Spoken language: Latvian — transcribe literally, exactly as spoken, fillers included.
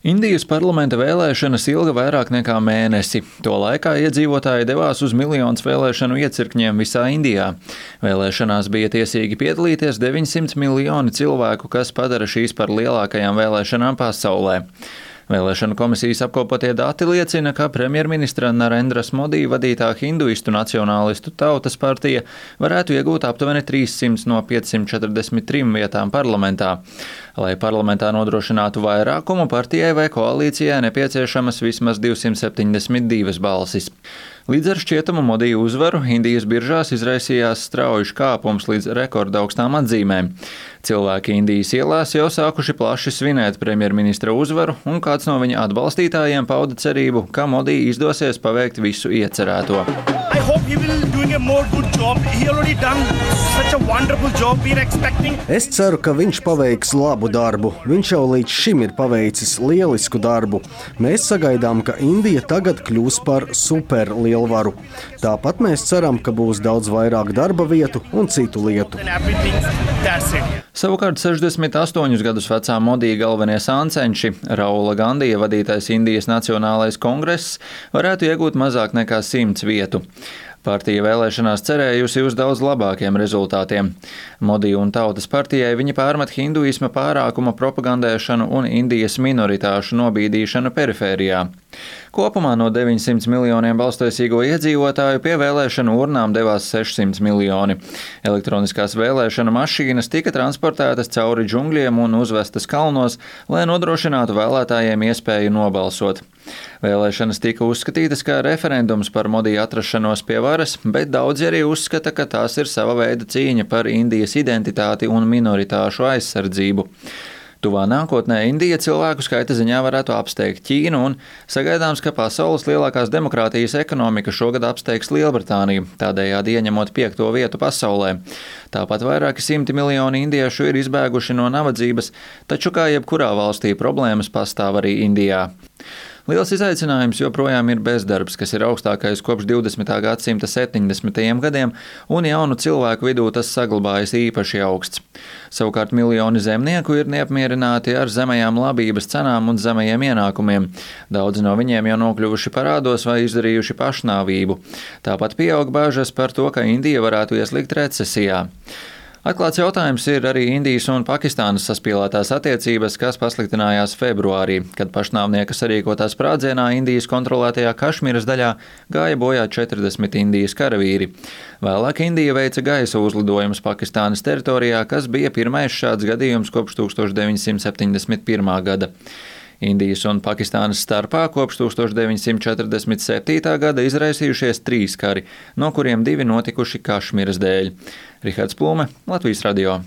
Indijas parlamenta vēlēšanas ilga vairāk nekā mēnesi. To laikā iedzīvotāji devās uz miljonus vēlēšanu iecirkņiem visā Indijā. Vēlēšanās bija tiesīgi piedalīties deviņsimt miljoni cilvēku, kas padara šīs par lielākajām vēlēšanām pasaulē. Vēlēšanu komisijas apkopotie dati liecina, ka premjerministra Narendras Modi vadītā hinduistu nacionālistu Tautas partija varētu iegūt aptuveni trīssimt no piecsimt četrdesmit trim vietām parlamentā. Lai parlamentā nodrošinātu vairākumu, partijai vai koalīcijai nepieciešamas vismaz divsimt septiņdesmit divas balsis. Līdz ar šķietamu Modi uzvaru Indijas biržās izraisījās strauji kāpums līdz rekorda augstām atzīmēm. Cilvēki Indijas ielās jau sākuši plaši svinēt premjerministra uzvaru, un kāds no viņa atbalstītājiem pauda cerību, ka Modi izdosies paveikt visu iecerēto. Es ceru, ka viņš paveiks labu darbu. Viņš jau līdz šim ir paveicis lielisku darbu. Mēs sagaidām, ka Indija tagad kļūs par superlielvaru. Tāpat mēs ceram, ka būs daudz vairāk darba vietu un citu lietu. Savukārt sešdesmit astoņus gadus vecā Modi galvenie sāncenši, Raula Gandija vadītais Indijas Nacionālais kongress, varētu iegūt mazāk nekā simts vietu. Partija vēlēšanās cerējusi uz daudz labākiem rezultātiem. Modi un Tautas partijai viņi pārmet hinduisma pārākuma propagandēšanu un Indijas minoritāšu nobīdīšanu perifērijā. Kopumā no deviņsimt miljoniem balstotīgo iedzīvotāju pie vēlēšanu urnām devās sešsimt miljoni. Elektroniskās vēlēšana mašīnas tika transportētas cauri džungļiem un uzvestas kalnos, lai nodrošinātu vēlētājiem iespēju nobalsot. Vēlēšanas tika uzskatītas kā referendums par Modi atrašanos pie varas, bet daudzi arī uzskata, ka tās ir sava veida cīņa par Indijas identitāti un minoritāšu aizsardzību. Tuvā nākotnē Indija cilvēku skaita ziņā varētu apsteigt Ķīnu, un sagaidāms, ka pasaules lielākās demokrātijas ekonomika šogad apsteigs Lielbritāniju, tādējādi ieņemot piekto vietu pasaulē. Tāpat vairāki simti miljoni indiešu ir izbēguši no nabadzības, taču kā jebkurā valstī problēmas pastāv arī Indijā. Liels izaicinājums joprojām ir bezdarbs, kas ir augstākais kopš divdesmitā gadsimta septiņdesmitajiem gadiem, un jaunu cilvēku vidū tas saglabājas īpaši augsts. Savukārt miljoni zemnieku ir neapmierināti ar zemajām labības cenām un zemajiem ienākumiem. Daudzi no viņiem jau nokļuvuši parādos vai izdarījuši pašnāvību. Tāpat pieaug bāžas par to, ka Indija varētu ieslikt recesijā. Atklāts jautājums ir arī Indijas un Pakistānas saspīlētās attiecības, kas pasliktinājās februārī, kad pašnāvnieka sarīkotā sprādzienā Indijas kontrolētajā Kašmīras daļā gāja bojā četrdesmit Indijas karavīri. Vēlāk Indija veica gaisa uzlidojumus Pakistānas teritorijā, kas bija pirmais šāds gadījums kopš tūkstoš deviņsimt septiņdesmit pirmā gada. Indijas un Pakistānas starpā kopš tūkstoš deviņsimt četrdesmit septītā gada izraisījušies trīs kari, no kuriem divi notikuši Kašmīras dēļ. Rihards Plume, Latvijas radio.